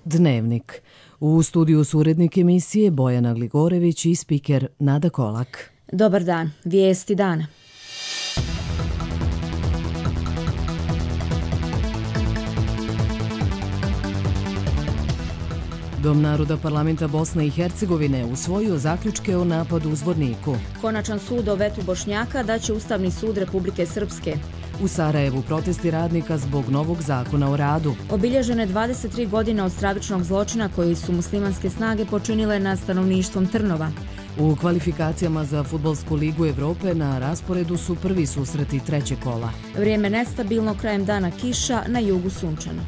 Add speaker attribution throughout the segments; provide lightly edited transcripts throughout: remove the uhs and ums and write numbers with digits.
Speaker 1: Dnevnik. U studiju su urednik emisije Bojana Gligorević i spiker Nada Kolak.
Speaker 2: Dobar dan, vijesti dana.
Speaker 1: Dom naroda parlamenta Bosne i Hercegovine usvojio zaključke o napadu u Zvorniku.
Speaker 2: Konačan sud o vetu Bošnjaka daće Ustavni sud Republike Srpske.
Speaker 1: U Sarajevu protesti radnika zbog novog zakona o radu.
Speaker 2: Obilježene 23 godine od stravičnog zločina koji su muslimanske snage počinile nad stanovništvom Trnova.
Speaker 1: U kvalifikacijama za Fudbalsku ligu Evrope na rasporedu su prvi susreti trećeg kola.
Speaker 2: Vrijeme nestabilno, krajem dana kiša, na jugu sunčano.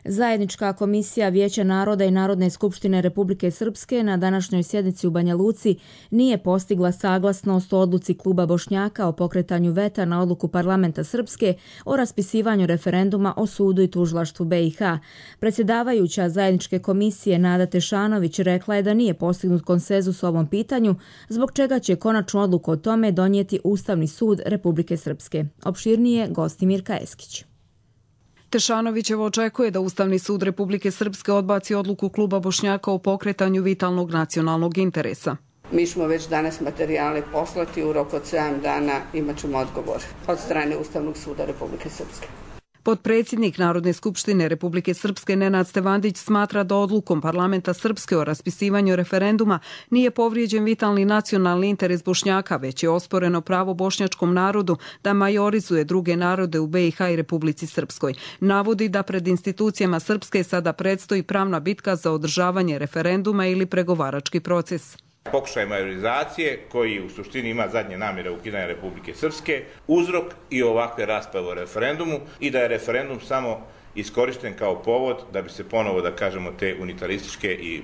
Speaker 2: Zajednička komisija Vijeća naroda i Narodne skupštine Republike Srpske na današnjoj sjednici u Banja Luci nije postigla saglasnost o odluci kluba Bošnjaka o pokretanju veta na odluku parlamenta Srpske o raspisivanju referenduma o sudu i tužilaštvu BiH. Predsjedavajuća zajedničke komisije Nada Tešanović rekla je da nije postignut konsenzus o ovom pitanju, zbog čega će konačnu odluku o tome donijeti Ustavni sud Republike Srpske. Opširnije gosti Mirka Eskić.
Speaker 3: Tešanovićevo očekuje da Ustavni sud Republike Srpske odbaci odluku kluba Bošnjaka o pokretanju vitalnog nacionalnog interesa.
Speaker 4: Mi ćemo već danas materijale poslati, u roku od 7 dana imat ćemo odgovor od strane Ustavnog suda Republike Srpske.
Speaker 3: Potpredsjednik Narodne skupštine Republike Srpske Nenad Stevandić smatra da odlukom parlamenta Srpske o raspisivanju referenduma nije povrijeđen vitalni nacionalni interes Bošnjaka, već je osporeno pravo bošnjačkom narodu da majorizuje druge narode u BiH i Republici Srpskoj. Navodi da pred institucijama Srpske sada predstoji pravna bitka za održavanje referenduma ili pregovarački proces.
Speaker 5: Pokušaj majorizacije koji u suštini ima zadnje namjere ukidanja Republike Srpske, uzrok i ovakve rasprave o referendumu i da je referendum samo iskorišten kao povod da bi se ponovo, da kažemo, te unitarističke i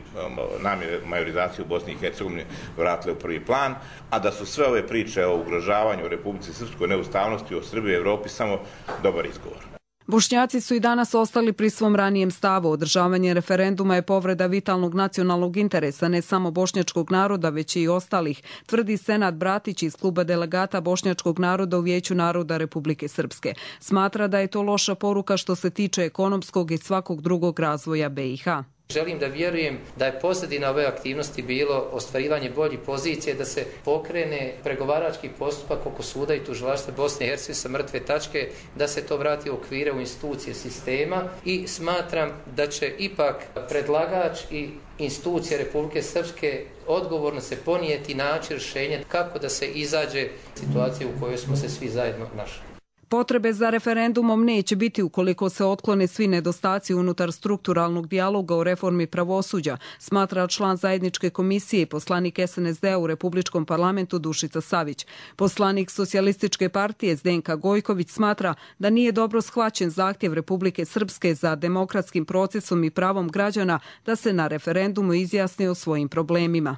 Speaker 5: namjere majorizacije u Bosni i Hercegovini vratile u prvi plan, a da su sve ove priče o ugrožavanju Republike Srpskoj, neustavnosti, o Srbiji i Evropi samo dobar izgovor.
Speaker 3: Bošnjaci su i danas ostali pri svom ranijem stavu. Održavanje referenduma je povreda vitalnog nacionalnog interesa ne samo bošnjačkog naroda, već i ostalih, tvrdi Senad Bratić iz kluba delegata bošnjačkog naroda u Vijeću naroda Republike Srpske. Smatra da je to loša poruka što se tiče ekonomskog i svakog drugog razvoja BiH.
Speaker 6: Želim da vjerujem da je pozadina ove aktivnosti bilo ostvarivanje boljih pozicije, da se pokrene pregovarački postupak oko suda i tužilaštva Bosne i Hercegovine sa mrtve tačke, da se to vrati u okvire u institucije sistema i smatram da će ipak predlagač i institucije Republike Srpske odgovorno se ponijeti naći rješenje kako da se izađe situacije u kojoj smo se svi zajedno našli.
Speaker 3: Potrebe za referendumom neće biti ukoliko se otklone svi nedostaci unutar strukturalnog dijaloga o reformi pravosuđa, smatra član zajedničke komisije i poslanik SNSD-a u Republičkom parlamentu Dušica Savić. Poslanik Socijalističke partije Zdenka Gojković smatra da nije dobro shvaćen zahtjev Republike Srpske za demokratskim procesom i pravom građana da se na referendumu izjasne o svojim problemima.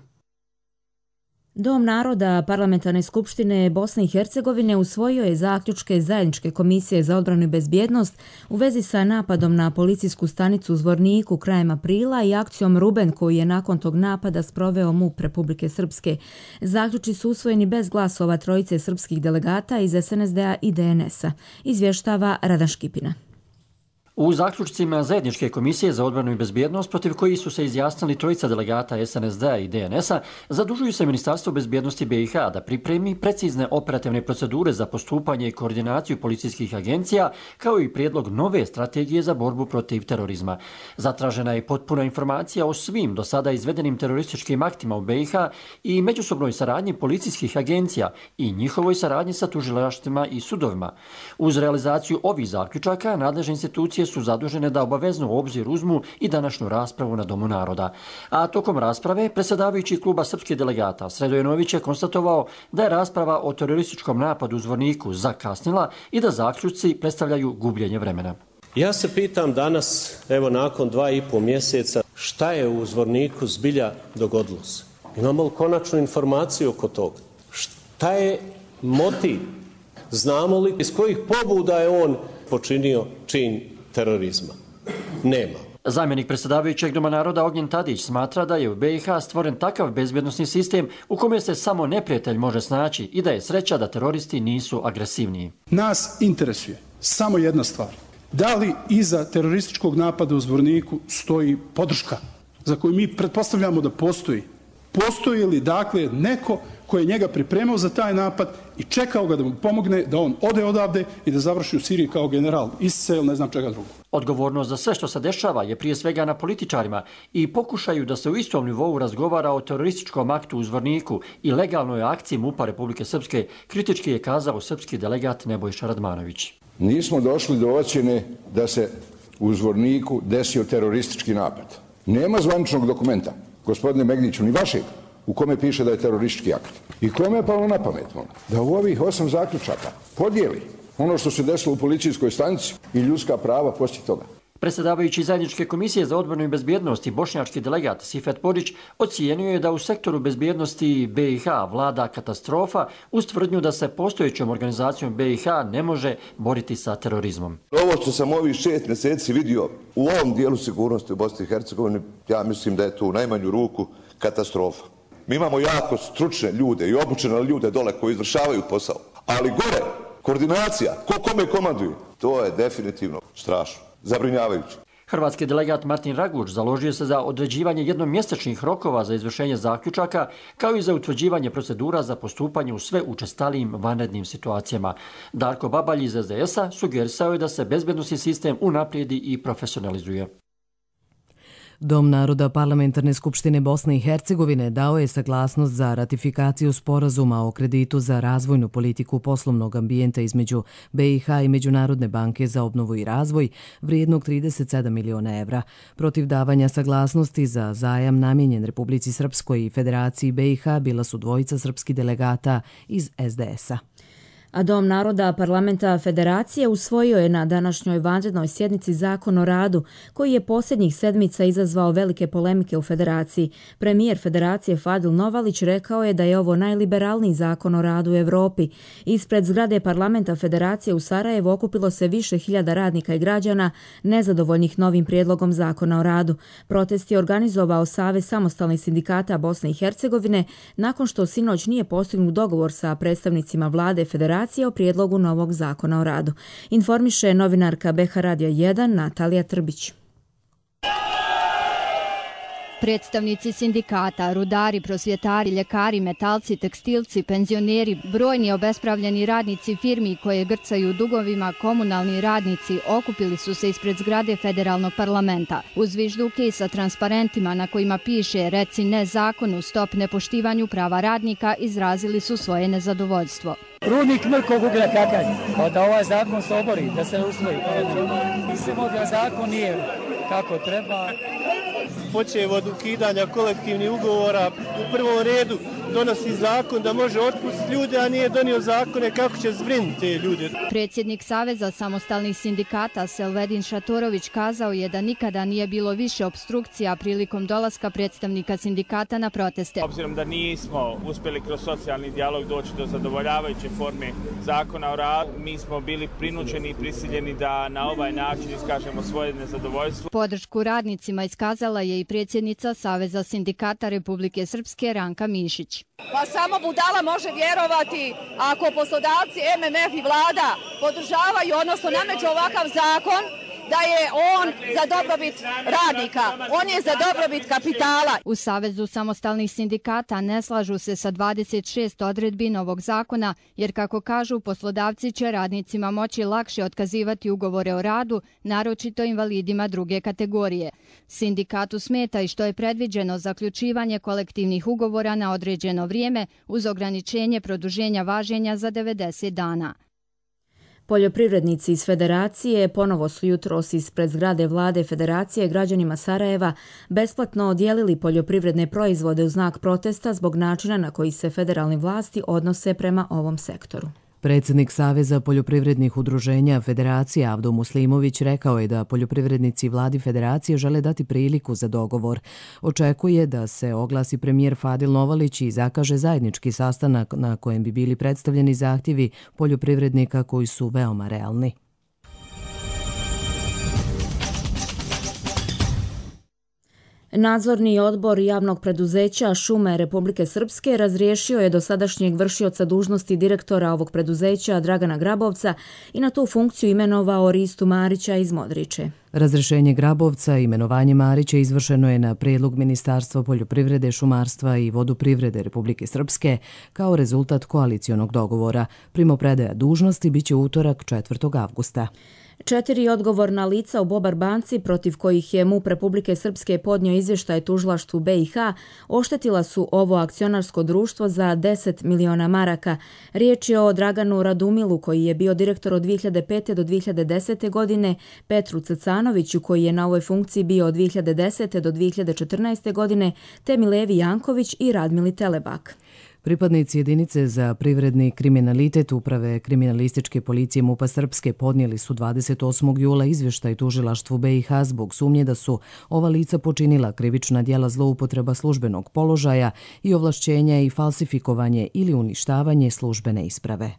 Speaker 2: Dom naroda Parlamentarne skupštine Bosne i Hercegovine usvojio je zaključke zajedničke komisije za odbranu i bezbjednost u vezi sa napadom na policijsku stanicu u Zvorniku krajem aprila i akcijom Ruben koju je nakon tog napada sproveo MUP Republike Srpske. Zaključci su usvojeni bez glasova trojice srpskih delegata iz SNSD-a i DNS-a, izvještava Radan Škipina.
Speaker 7: U zaključcima zajedničke komisije za odbranu i bezbjednost, protiv kojih su se izjasnili trojica delegata SNSD-a i DNS-a, zadužuju se Ministarstvo bezbjednosti BiH da pripremi precizne operativne procedure za postupanje i koordinaciju policijskih agencija, kao i prijedlog nove strategije za borbu protiv terorizma. Zatražena je potpuna informacija o svim do sada izvedenim terorističkim aktima u BiH i međusobnoj saradnji policijskih agencija i njihovoj saradnji sa tužilaštvima i sudovima. Uz realizaciju ovih zaključaka, nadležne institucije su zadužene da obavezno u obzir uzmu i današnju raspravu na Domu naroda. A tokom rasprave, predsjedavajući kluba srpskih delegata Sredojenović je konstatovao da je rasprava o terorističkom napadu u Zvorniku zakasnila i da zaključci predstavljaju gubljenje vremena.
Speaker 8: Ja se pitam danas, evo nakon 2,5 mjeseca, šta je u Zvorniku zbilja dogodilo se? Imamo li konačnu informaciju oko toga? Šta je motiv? Znamo li iz kojih pobuda je on počinio čin terorizma? Nema.
Speaker 7: Zamjenik predsjedavajućeg Doma naroda Ognjen Tadić smatra da je u BiH stvoren takav bezbjednosni sistem u kome se samo neprijatelj može snaći i da je sreća da teroristi nisu agresivniji.
Speaker 9: Nas interesuje samo jedna stvar. Da li iza terorističkog napada u Zvorniku stoji podrška za koju mi pretpostavljamo da postoji? Postoji li dakle neko ko je njega pripremao za taj napad i čekao ga da mu pomogne da on ode odavde i da završi u Siriji kao general ISIS-a ili ne znam čega drugo?
Speaker 7: Odgovornost za sve što se dešava je prije svega na političarima i pokušaju da se u istom nivou razgovara o terorističkom aktu u Zvorniku i legalnoj akciji MUP-a Republike Srpske, kritički je kazao srpski delegat Nebojša Radmanović.
Speaker 10: Nismo došli do ocjene da se u Zvorniku desio teroristički napad. Nema zvaničnog dokumenta, gospodine Megniću, ni vašeg, u kome piše da je teroristički akt. I kome je palo na pamet, da u ovih 8 zaključaka podijeli ono što se desilo u policijskoj stanici i ljudska prava poslije toga.
Speaker 7: Predsjedavajući Zajedničke komisije za odbranu i bezbjednost i bošnjački delegat Sifet Porić ocijenio je da u sektoru bezbjednosti BiH vlada katastrofa uz tvrdnju da se postojećom organizacijom BiH ne može boriti sa terorizmom.
Speaker 11: Ovo što sam ovih 6 mjeseci vidio u ovom dijelu sigurnosti u Bosni i Hercegovini, ja mislim da je to u najmanju ruku katastrofa. Mi imamo jako stručne ljude i obučene ljude dole koji izvršavaju posao, ali gore koordinacija, ko kome komanduju, to je definitivno strašno. Zabrinjavajući.
Speaker 7: Hrvatski delegat Martin Raguč založio se za određivanje jednomjesečnih rokova za izvršenje zaključaka, kao i za utvrđivanje procedura za postupanje u sve učestalijim vanrednim situacijama. Darko Babalj iz SDS-a sugerisao je da se bezbednosni sistem unaprijedi i profesionalizuje.
Speaker 1: Dom naroda Parlamentarne skupštine Bosne i Hercegovine dao je saglasnost za ratifikaciju sporazuma o kreditu za razvojnu politiku poslovnog ambijenta između BiH i Međunarodne banke za obnovu i razvoj vrijednog 37 miliona evra. Protiv davanja saglasnosti za zajam namijenjen Republici Srpskoj i Federaciji BiH bila su dvojica srpskih delegata iz SDS-a.
Speaker 2: A Dom naroda Parlamenta Federacije usvojio je na današnjoj vanrednoj sjednici Zakon o radu, koji je posljednjih sedmica izazvao velike polemike u Federaciji. Premijer Federacije Fadil Novalić rekao je da je ovo najliberalniji zakon o radu u Evropi. Ispred zgrade Parlamenta Federacije u Sarajevu okupilo se više hiljada radnika i građana nezadovoljnih novim prijedlogom zakona o radu. Protest je organizovao Savez samostalnih sindikata Bosne i Hercegovine nakon što sinoć nije postignut dogovor sa predstavnicima vlade Federacije o prijedlogu novog zakona o radu. Informiše novinarka BH Radija 1 Natalija Trbić.
Speaker 12: Predstavnici sindikata, rudari, prosvjetari, ljekari, metalci, tekstilci, penzioneri, brojni obespravljeni radnici firmi koje grcaju u dugovima, komunalni radnici okupili su se ispred zgrade federalnog parlamenta. Uz zvižduke i sa transparentima na kojima piše "Reci ne zakonu, stop nepoštivanju prava radnika", izrazili su svoje nezadovoljstvo.
Speaker 13: Rudnik mrkog uglja kakav, pa da ovaj zakon se obori, da se usvoji. Mislimo da zakon nije kako treba.
Speaker 14: Počev od ukidanja kolektivnih ugovora, u prvom redu donosi zakon da može otpustiti ljude, a nije donio zakone kako će zbrinuti te ljude.
Speaker 12: Predsjednik Saveza samostalnih sindikata Selvedin Šatorović kazao je da nikada nije bilo više opstrukcija prilikom dolaska predstavnika sindikata na proteste.
Speaker 15: Obzirom da nismo uspjeli kroz socijalni dijalog doći do zadovoljavajuće forme zakona o radu, mi smo bili prinuđeni i prisiljeni da na ovaj način iskažemo svoje nezadovoljstvo.
Speaker 12: Podršku radnicima iskazala je i predsjednica Saveza sindikata Republike Srpske Ranka Mišić.
Speaker 16: Pa samo budala može vjerovati ako poslodavci, MMF i vlada podržavaju, odnosno nameću ovakav zakon, da je on za dobrobit radnika, on je za dobrobit kapitala.
Speaker 12: U Savezu samostalnih sindikata ne slažu se sa 26 odredbi novog zakona, jer kako kažu, poslodavci će radnicima moći lakše otkazivati ugovore o radu, naročito invalidima druge kategorije. Sindikatu smeta i što je predviđeno zaključivanje kolektivnih ugovora na određeno vrijeme uz ograničenje produženja važenja za 90 dana.
Speaker 2: Poljoprivrednici iz Federacije ponovo su jutros ispred zgrade vlade Federacije građanima Sarajeva besplatno odijelili poljoprivredne proizvode u znak protesta zbog načina na koji se federalne vlasti odnose prema ovom sektoru.
Speaker 1: Predsjednik Saveza poljoprivrednih udruženja Federacije Avdo Muslimović rekao je da poljoprivrednici vladi Federacije žele dati priliku za dogovor. Očekuje da se oglasi premijer Fadil Novalić i zakaže zajednički sastanak na kojem bi bili predstavljeni zahtjevi poljoprivrednika koji su veoma realni.
Speaker 2: Nadzorni odbor javnog preduzeća Šume Republike Srpske razriješio je dosadašnjeg vršioca dužnosti direktora ovog preduzeća Dragana Grabovca i na tu funkciju imenovao Ristu Marića iz Modriče.
Speaker 1: Razrješenje Grabovca i imenovanje Marića izvršeno je na prijedlog Ministarstva poljoprivrede, šumarstva i vodoprivrede Republike Srpske kao rezultat koalicionog dogovora. Primopredaja dužnosti biće utorak 4. avgusta.
Speaker 2: 4 odgovorna lica u Bobar banci protiv kojih je MUP Republike Srpske podnio izvještaj tužilaštvu BiH oštetila su ovo akcionarsko društvo za 10 miliona maraka. Riječ je o Draganu Radumilu koji je bio direktor od 2005. do 2010. godine, Petru Cecanoviću koji je na ovoj funkciji bio od 2010. do 2014. godine, te Milevi Janković i Radmili Telebak.
Speaker 1: Pripadnici jedinice za privredni kriminalitet Uprave kriminalističke policije MUP-a Srpske podnijeli su 28. jula izvještaj tužilaštvu BiH zbog sumnje da su ova lica počinila krivična djela zloupotreba službenog položaja i ovlašćenja i falsifikovanje ili uništavanje službene isprave.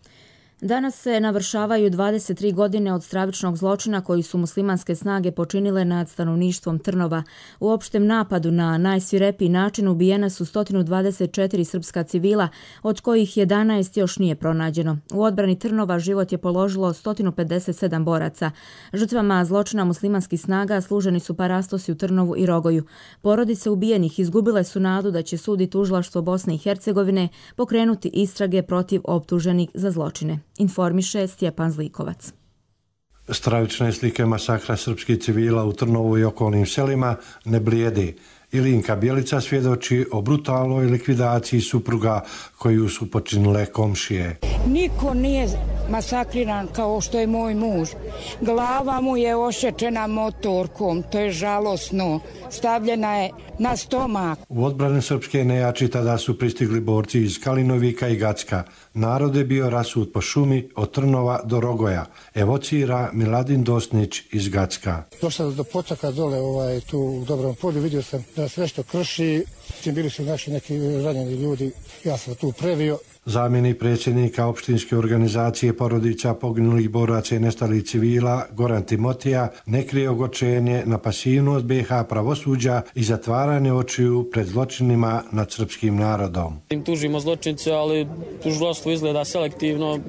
Speaker 2: Danas se navršavaju 23 godine od stravičnog zločina koji su muslimanske snage počinile nad stanovništvom Trnova. U opštem napadu na najsvirepiji način ubijena su 124 srpska civila, od kojih 11 još nije pronađeno. U odbrani Trnova život je položilo 157 boraca. Žrtvama zločina muslimanskih snaga služeni su parastosi u Trnovu i Rogoju. Porodice ubijenih izgubile su nadu da će sud i tužilaštvo Bosne i Hercegovine pokrenuti istrage protiv optuženih za zločine. Informiše Stjepan Zlikovac.
Speaker 17: Stravične slike masakra srpskih civila u Trnovu i okolnim selima ne blijedi. Ilinka Bjelica svjedoči o brutalnoj likvidaciji supruga koju su počinile komšije.
Speaker 18: Niko nije masakriran kao što je moj muž. Glava mu je ošečena motorkom, to je žalosno. Stavljena je na stomak.
Speaker 17: U odbranu srpske nejači tada su pristigli borci iz Kalinovika i Gacka. Narod je bio rasut po šumi od Trnova do Rogoja. Evocira Miladin Dosnić iz Gacka.
Speaker 19: Došao do potaka dole tu u Dobrom polju, vidio sam da se nešto krši. Bili su naši neki ranjeni ljudi, ja sam tu previo.
Speaker 17: Zamjenik predsjednika opštinske organizacije porodica poginulih boraca i nestalih civila Goran Timotija ne krije ogorčenje na pasivnost BiH pravosuđa i zatvaranje očiju pred zločinima nad srpskim narodom.
Speaker 20: Tužimo zločince, ali tužilaštvo izgleda selektivno,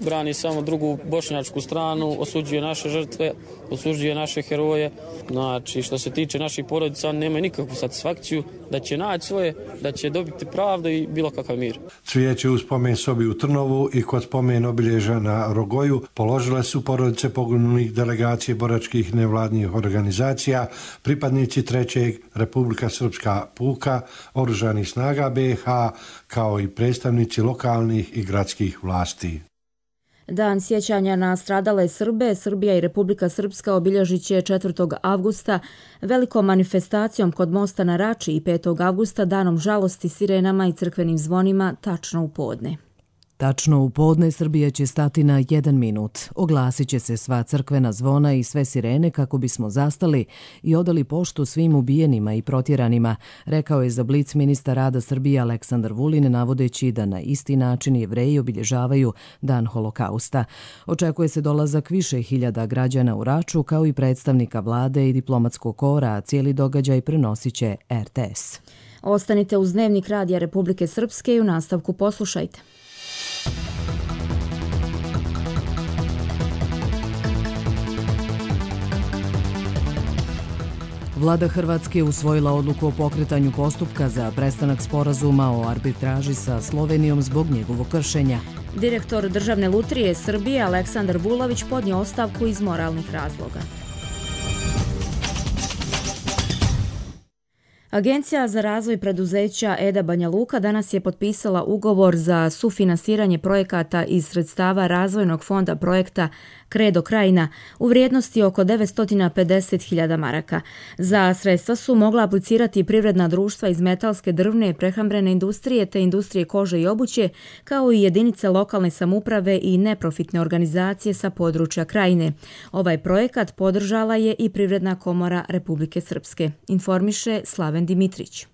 Speaker 20: brani samo drugu bošnjačku stranu, osuđuje naše žrtve, osuđuje naše heroje. Znači, što se tiče naših porodica, nema nikakvu satisfakciju da će naći svoje, da će dobiti pravdu i bilo kakav mir.
Speaker 17: Cvijeće u spomen sobi u Trnovu i kod spomen obilježa na Rogoju položile su porodice poginulih delegacije boračkih nevladnih organizacija, pripadnici 3. Republika Srpska puka, oružanih snaga BiH, kao i predstavnici lokalnih i gradskih vlasti.
Speaker 2: Dan sjećanja na stradale Srbe, Srbija i Republika Srpska obilježit će 4. avgusta velikom manifestacijom kod mosta na Rači i 5. avgusta danom žalosti, sirenama i crkvenim zvonima tačno u podne.
Speaker 1: Tačno u podne Srbija će stati na 1 minut. Oglasit će se sva crkvena zvona i sve sirene kako bismo zastali i odali poštu svim ubijenima i protjeranima, rekao je za Blic ministar rada Srbije Aleksandar Vulin, navodeći da na isti način Jevreji obilježavaju Dan holokausta. Očekuje se dolazak više hiljada građana u Raču, kao i predstavnika vlade i diplomatskog kora, a cijeli događaj prenosit će RTS.
Speaker 2: Ostanite uz Dnevnik Radija Republike Srpske i u nastavku poslušajte.
Speaker 1: Vlada Hrvatske je usvojila odluku o pokretanju postupka za prestanak sporazuma o arbitraži sa Slovenijom zbog njegovog kršenja.
Speaker 2: Direktor Državne lutrije Srbije Aleksandar Vulović podnio ostavku iz moralnih razloga. Agencija za razvoj preduzeća EDA Banja Luka danas je potpisala ugovor za sufinansiranje projekata iz sredstava razvojnog fonda projekta Kredo Krajina u vrijednosti oko 950.000 maraka. Za sredstva su mogla aplicirati privredna društva iz metalske, drvne i prehrambene industrije te industrije kože i obuće, kao i jedinice lokalne samouprave i neprofitne organizacije sa područja Krajine. Ovaj projekat podržala je i Privredna komora Republike Srpske, informiše Slaven Dimitrić.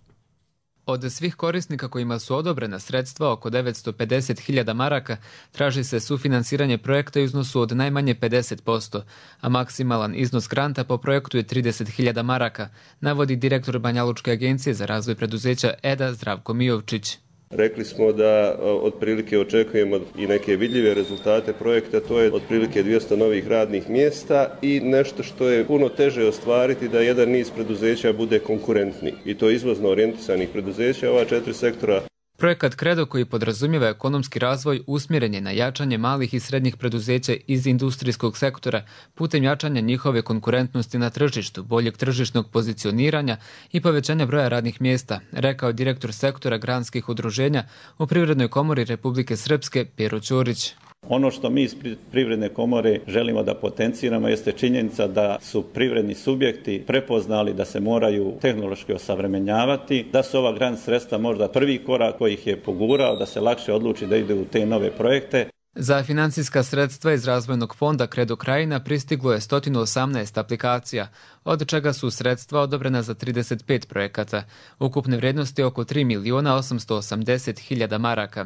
Speaker 21: Od svih korisnika kojima su odobrena sredstva, oko 950.000 maraka, traži se sufinansiranje projekta u iznosu od najmanje 50%, a maksimalan iznos granta po projektu je 30.000 maraka, navodi direktor Banjalučke agencije za razvoj preduzeća EDA Zdravko Mijovčić.
Speaker 22: Rekli smo da otprilike očekujemo i neke vidljive rezultate projekta, to je otprilike 200 novih radnih mjesta i nešto što je puno teže ostvariti da jedan niz preduzeća bude konkurentni. I to izvozno orijentisanih preduzeća, ova 4 sektora.
Speaker 21: Projekat Kredo, koji podrazumijeva ekonomski razvoj, usmjeren je na jačanje malih i srednjih preduzeća iz industrijskog sektora putem jačanja njihove konkurentnosti na tržištu, boljeg tržišnog pozicioniranja i povećanja broja radnih mjesta, rekao direktor sektora granskih udruženja u Privrednoj komori Republike Srpske Pero Ćorić.
Speaker 23: Ono što mi iz Privredne komore želimo da potenciramo jeste činjenica da su privredni subjekti prepoznali da se moraju tehnološki osavremenjavati, da su ova grant sredstva možda prvi korak koji ih je pogurao da se lakše odluči da ide u te nove projekte.
Speaker 21: Za financijska sredstva iz razvojnog fonda Kredo Krajina pristiglo je 118 aplikacija, od čega su sredstva odobrena za 35 projekata. Ukupne vrijednosti oko 3.880.000 maraka.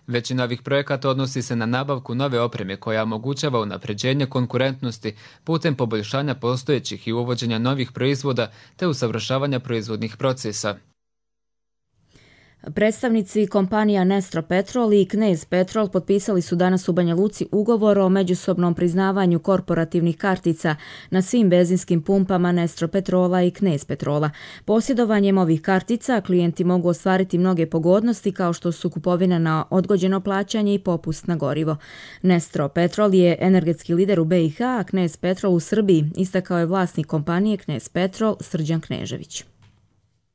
Speaker 21: Većina ovih projekata odnosi se na nabavku nove opreme koja omogućava unapređenje konkurentnosti putem poboljšanja postojećih i uvođenja novih proizvoda te usavršavanja proizvodnih procesa.
Speaker 2: Predstavnici kompanija Nestro Petrol i Knez Petrol potpisali su danas u Banja Luci ugovor o međusobnom priznavanju korporativnih kartica na svim benzinskim pumpama Nestro Petrola i Knez Petrola. Posjedovanjem ovih kartica klijenti mogu ostvariti mnoge pogodnosti kao što su kupovina na odgođeno plaćanje i popust na gorivo. Nestro Petrol je energetski lider u BiH, a Knez Petrol u Srbiji, istakao je vlasnik kompanije Knez Petrol Srđan Knežević.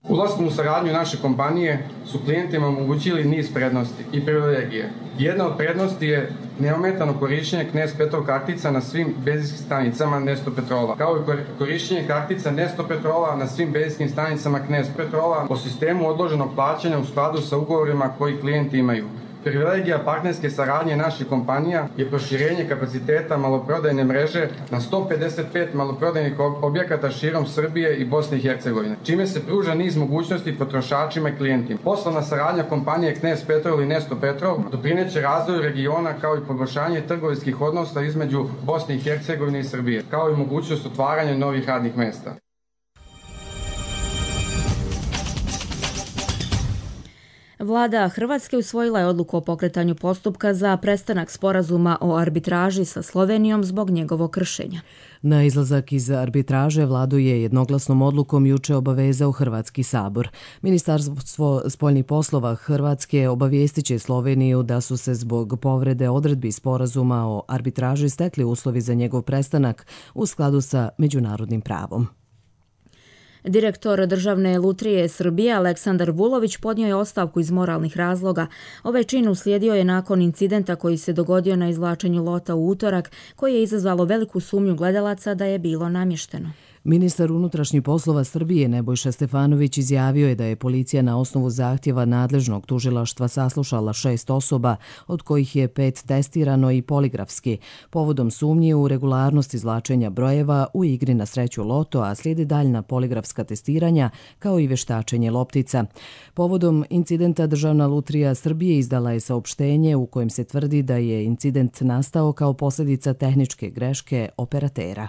Speaker 24: Ulaskom u saradnju naše kompanije su klijentima omogućili niz prednosti i privilegije. Jedna od prednosti je neometano korištenje Knez Petrol kartica na svim benzinskim stanicama Nestro Petrola, kao i korištenje kartica Nestro Petrola na svim benzinskim stanicama Knez Petrola po sistemu odloženog plaćanja u skladu sa ugovorima koji klijenti imaju. Privilegija partnerske saradnje naših kompanija je proširenje kapaciteta maloprodajne mreže na 155 maloprodajnih objekata širom Srbije i Bosne i Hercegovine, čime se pruža niz mogućnosti potrošačima i klijentima. Poslovna saradnja kompanije Knez Petrol i Nestro Petrol doprineće razvoju regiona kao i poboljšanje trgovinskih odnosa između Bosne i Hercegovine i Srbije, kao i mogućnost otvaranja novih radnih mjesta.
Speaker 2: Vlada Hrvatske usvojila je odluku o pokretanju postupka za prestanak sporazuma o arbitraži sa Slovenijom zbog njegovog kršenja.
Speaker 1: Na izlazak iz arbitraže vladu je jednoglasnom odlukom juče obavezao Hrvatski sabor. Ministarstvo spoljnih poslova Hrvatske obavijestit će Sloveniju da su se zbog povrede odredbi sporazuma o arbitraži stekli uslovi za njegov prestanak u skladu sa međunarodnim pravom.
Speaker 2: Direktor Državne lutrije Srbije Aleksandar Vulović podnio je ostavku iz moralnih razloga. Ovaj čin uslijedio je nakon incidenta koji se dogodio na izvlačenju lota u utorak, koji je izazvalo veliku sumnju gledalaca da je bilo namješteno.
Speaker 1: Ministar unutrašnjih poslova Srbije Nebojša Stefanović izjavio je da je policija na osnovu zahtjeva nadležnog tužilaštva saslušala 6 osoba, od kojih je 5 testirano i poligrafski, povodom sumnje u regularnost izvlačenja brojeva u igri na sreću loto, a slijedi daljna poligrafska testiranja kao i veštačenje loptica. Povodom incidenta Državna lutrija Srbije izdala je saopštenje u kojem se tvrdi da je incident nastao kao posljedica tehničke greške operatera.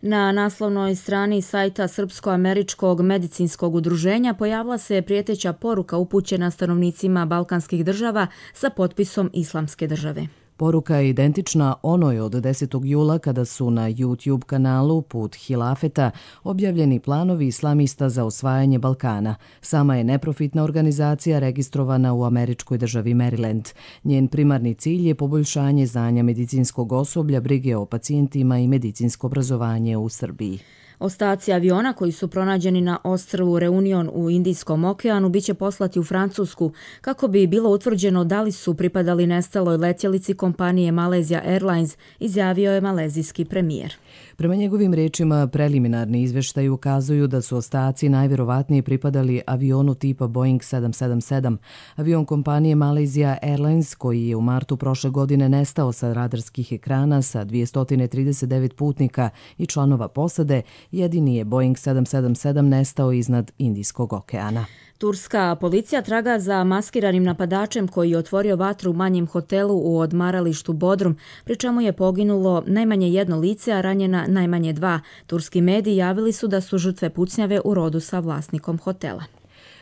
Speaker 2: Na naslovnoj strani sajta Srpsko-američkog medicinskog udruženja pojavila se prijeteća poruka upućena stanovnicima balkanskih država sa potpisom Islamske države.
Speaker 1: Poruka je identična onoj od 10. jula kada su na YouTube kanalu Put Hilafeta objavljeni planovi islamista za osvajanje Balkana. Sama je neprofitna organizacija registrovana u američkoj državi Maryland. Njen primarni cilj je poboljšanje znanja medicinskog osoblja, brige o pacijentima i medicinsko obrazovanje u Srbiji.
Speaker 2: Ostaci aviona koji su pronađeni na ostrvu Reunion u Indijskom okeanu biće poslati u Francusku kako bi bilo utvrđeno da li su pripadali nestaloj letjelici kompanije Malaysia Airlines, izjavio je malezijski premijer.
Speaker 1: Prema njegovim rečima, preliminarni izvještaji ukazuju da su ostaci najvjerovatnije pripadali avionu tipa Boeing 777. Avion kompanije Malaysia Airlines, koji je u martu prošle godine nestao sa radarskih ekrana sa 239 putnika i članova posade, jedini je Boeing 777 nestao iznad Indijskog okeana.
Speaker 2: Turska policija traga za maskiranim napadačem koji je otvorio vatru u manjem hotelu u odmaralištu Bodrum, pri čemu je poginulo najmanje 1 lice, a ranjena najmanje 2. Turski mediji javili su da su žrtve pucnjave u rodu sa vlasnikom hotela.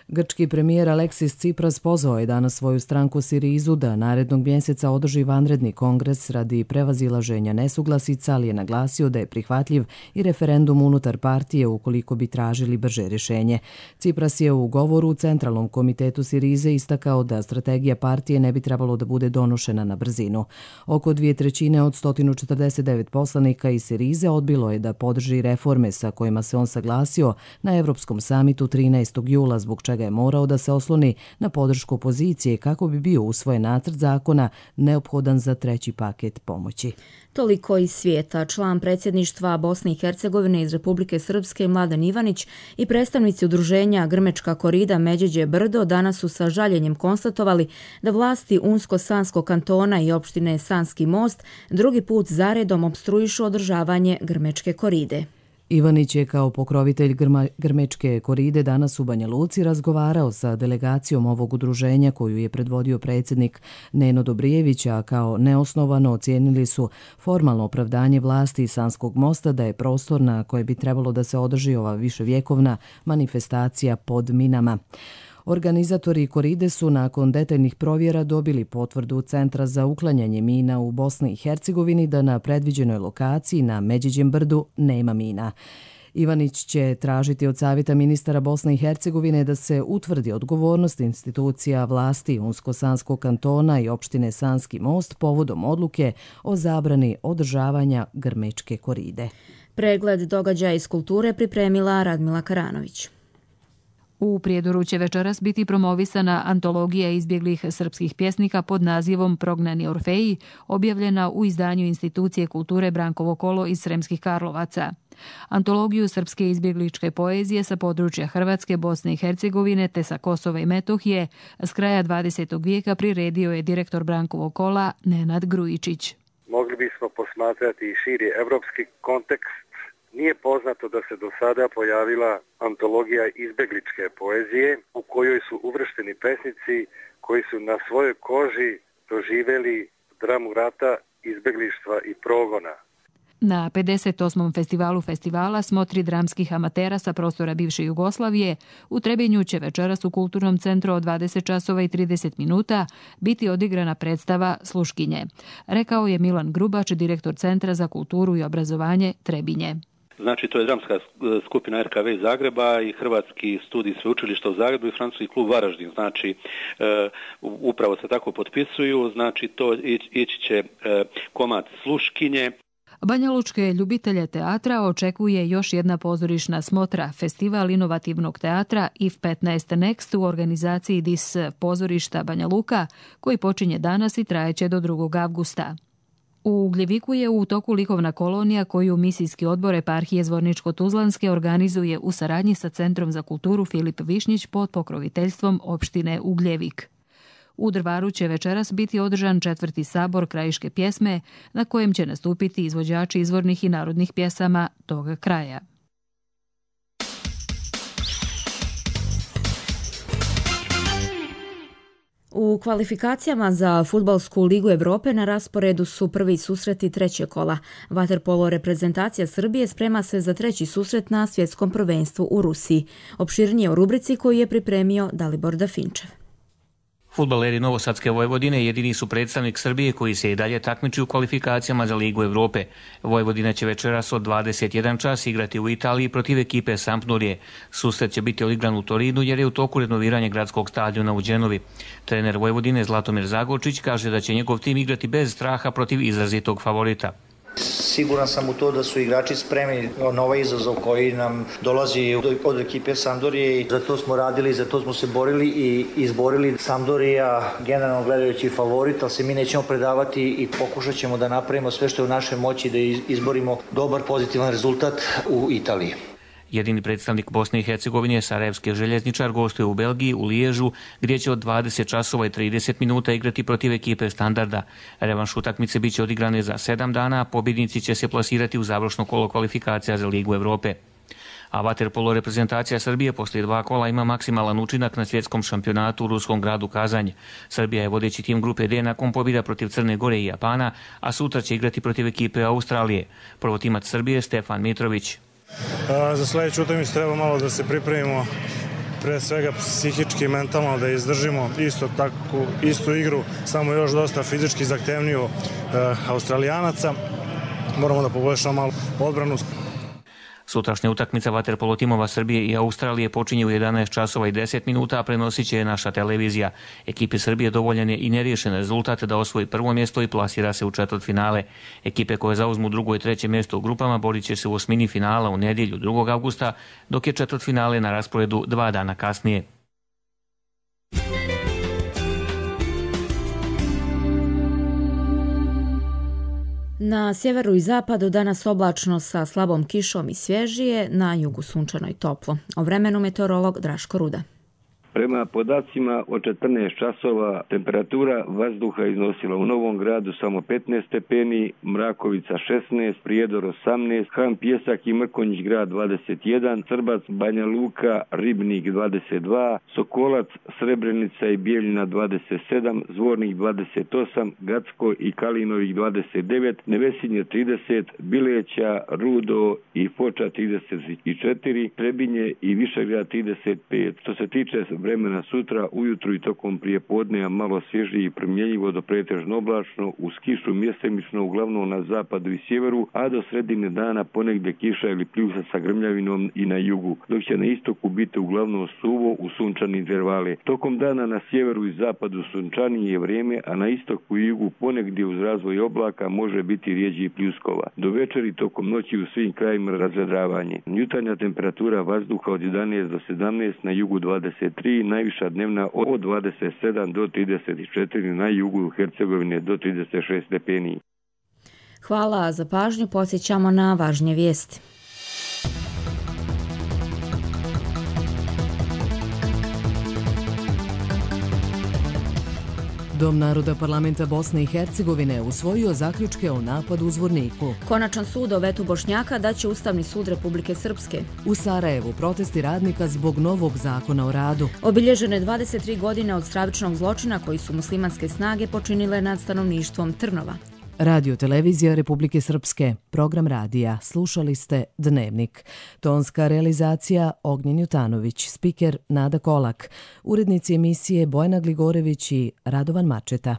Speaker 1: Grčki premijer Aleksis Tsipras pozvao je danas svoju stranku Sirizu da narednog mjeseca održi vanredni kongres radi prevazilaženja nesuglasica, ali je naglasio da je prihvatljiv i referendum unutar partije ukoliko bi tražili brže rješenje. Tsipras je u govoru u Centralnom komitetu Sirize istakao da strategija partije ne bi trebalo da bude donošena na brzinu. Oko 2/3 od 149 poslanika iz Sirize odbilo je da podrži reforme sa kojima se on saglasio na Evropskom samitu 13. jula, zbog čega je morao da se osloni na podršku opozicije kako bi bio usvojen nacrt zakona neophodan za 3. paket pomoći.
Speaker 2: Toliko iz svijeta. Član predsjedništva Bosne i Hercegovine iz Republike Srpske Mladen Ivanić i predstavnici udruženja Grmečka korida Međeđe Brdo danas su sa žaljenjem konstatovali da vlasti Unsko-Sanskog kantona i opštine Sanski Most drugi put zaredom opstruišu održavanje Grmečke koride.
Speaker 1: Ivanić je kao pokrovitelj Grmečke koride danas u Banja Luci razgovarao sa delegacijom ovog udruženja koju je predvodio predsjednik Neno Dobrijević, a kao neosnovano ocijenili su formalno opravdanje vlasti Sanskog mosta da je prostor na koje bi trebalo da se održi ova viševjekovna manifestacija pod minama. Organizatori koride su nakon detaljnih provjera dobili potvrdu Centra za uklanjanje mina u Bosni i Hercegovini da na predviđenoj lokaciji na Međeđem brdu nema mina. Ivanić će tražiti od Savjeta ministara Bosne i Hercegovine da se utvrdi odgovornost institucija vlasti Unsko-Sanskog kantona i opštine Sanski Most povodom odluke o zabrani održavanja Grmečke koride.
Speaker 2: Pregled događaja iz kulture pripremila Radmila Karanović.
Speaker 3: U Prijedoru će večeras biti promovisana antologija izbjeglih srpskih pjesnika pod nazivom Prognani Orfeji, objavljena u izdanju Institucije kulture Brankovo kolo iz Sremskih Karlovaca. Antologiju srpske izbjegličke poezije sa područja Hrvatske, Bosne i Hercegovine te sa Kosova i Metohije s kraja 20. vijeka priredio je direktor Brankovog kola Nenad Grujičić.
Speaker 4: Mogli bismo posmatrati i širi evropski kontekst. Nije poznato da se do sada pojavila antologija izbjegličke poezije u kojoj su uvršteni pesnici koji su na svojoj koži doživjeli dramu rata, izbjeglištva i progona.
Speaker 3: Na 58. festivalu festivala Smotri dramskih amatera sa prostora bivše Jugoslavije u Trebinju će večeras u Kulturnom centru od 20 časova i 30 minuta biti odigrana predstava Sluškinje, rekao je Milan Grubač, direktor Centra za kulturu i obrazovanje Trebinje.
Speaker 5: Znači, to je dramska skupina RKV iz Zagreba i Hrvatski studij sveučilišta u Zagrebu i Francuski klub Varaždin. Znači, upravo se tako potpisuju. Znači, to ići će komad Sluškinje.
Speaker 3: Banjalučke ljubitelje teatra očekuje još jedna pozorišna smotra, festival inovativnog teatra IF15 Next u organizaciji DIS pozorišta Banja Luka, koji počinje danas i trajeće do 2. avgusta. U Ugljeviku je u toku likovna kolonija koju misijski odbor eparhije Zvorničko-Tuzlanske organizuje u saradnji sa Centrom za kulturu Filip Višnjić pod pokroviteljstvom opštine Ugljevik. U Drvaru će večeras biti održan 4. sabor krajiške pjesme na kojem će nastupiti izvođači izvornih i narodnih pjesama toga kraja.
Speaker 2: U kvalifikacijama za Fudbalsku ligu Evrope na rasporedu su prvi susreti 3. kola. Vaterpolo reprezentacija Srbije sprema se za 3. susret na svjetskom prvenstvu u Rusiji. Opširnije u rubrici koju je pripremio Dalibor Dafinčev.
Speaker 6: Fudbaleri Novosadske Vojvodine jedini su predstavnik Srbije koji se i dalje takmiči u kvalifikacijama za Ligu Evrope. Vojvodina će večeras od 21 čas igrati u Italiji protiv ekipe Sampdorije. Susret će biti odigran u Torinu jer je u toku renoviranje gradskog stadiona u Đenovi. Trener Vojvodine Zlatomir Zagorčić kaže da će njegov tim igrati bez straha protiv izrazitog favorita.
Speaker 25: Siguran sam u to da su igrači spremni na ovaj izazov koji nam dolazi od ekipe Sampdorije. Za to smo radili, za to smo se borili i izborili. Sampdorija generalno gledajući favorit, ali se mi nećemo predavati i pokušat ćemo da napravimo sve što je u našoj moći da izborimo dobar pozitivan rezultat u Italiji.
Speaker 6: Jedini predstavnik Bosne i Hercegovine, sarajevski željezničar, gostuje u Belgiji, u Liježu, gdje će od 20 časova i 30 minuta igrati protiv ekipe Standarda. Revanš utakmice bit će odigrane za 7 dana, a pobjednici će se plasirati u završno kolo kvalifikacija za Ligu Evrope. a vaterpolo reprezentacija Srbije poslije 2 kola ima maksimalan učinak na svjetskom šampionatu u ruskom gradu Kazanj. Srbija je vodeći tim grupe D nakon pobjeda protiv Crne Gore i Japana, a sutra će igrati protiv ekipe Australije. Prvotimac Srbije Stefan Mitrović.
Speaker 7: Za sljedeću utakmicu treba malo da se pripremimo, pre svega psihički i mentalno da izdržimo istu igru, samo još dosta fizički zahtevniju Australijanaca. Moramo da poboljšamo malo odbranu.
Speaker 6: Sutrašnja utakmica vaterpolo timova Srbije i Australije počinje u 11 časova i 10 minuta, a prenosit će je naša televizija. Ekipi Srbije dovoljan je i neriješen rezultat da osvoji prvo mjesto i plasira se u četvrtfinale. Ekipe koje zauzmu drugo i treće mjesto u grupama borit će se u osmini finala u nedjelju 2. avgusta, dok je četvrtfinale na rasporedu 2 dana kasnije.
Speaker 2: Na sjeveru i zapadu danas oblačno sa slabom kišom i svježije, na jugu sunčano i toplo. O vremenu meteorolog Draško Ruda.
Speaker 8: Prema podacima od 14 časova temperatura vazduha iznosila u Novom Gradu samo 15 stepeni, Mrakovica 16, Prijedor 18, Han Pjesak i Mrkonjić grad 21, Srbac, Banja Luka, Ribnik 22, Sokolac, Srebrenica i Bijeljina 27, Zvornik 28, Gacko i Kalinovik 29, Nevesinje 30, Bileća, Rudo i Foča 34, Trebinje i Višegrad 35. Što se tiče vremena sutra, ujutru i tokom prijepodneva malo svježije i promjenjivo do pretežno oblačno, uz kišu mjesemično uglavnom na zapadu i sjeveru, a do sredine dana ponegdje kiša ili pljusa sa grmljavinom i na jugu, dok će na istoku biti uglavnom suvo u sunčani intervale. Tokom dana na sjeveru i zapadu sunčanije je vrijeme, a na istoku i jugu ponegdje uz razvoj oblaka može biti rijeđi pljuskova. Do večeri tokom noći u svim krajima razvedravanje. Jutarnja temperatura vazduha od 11 do 17, na jugu 23, najviša dnevna od 27 do 34, na jugu Hercegovine do 36 stepeni.
Speaker 2: Hvala za pažnju, podsjećamo na važnije vijesti.
Speaker 1: Dom naroda parlamenta Bosne i Hercegovine usvojio zaključke o napadu u Zvorniku.
Speaker 2: Konačan sud o vetu Bošnjaka daće Ustavni sud Republike Srpske.
Speaker 1: U Sarajevu protesti radnika zbog novog zakona o radu.
Speaker 2: Obilježene 23 godine od stravičnog zločina koji su muslimanske snage počinile nad stanovništvom Trnova.
Speaker 1: Radio televizija Republike Srpske, program radija. Slušali ste Dnevnik. Tonska realizacija Ognjen Jutanović, spiker Nada Kolak, urednici emisije Bojana Gligorević i Radovan Mačeta.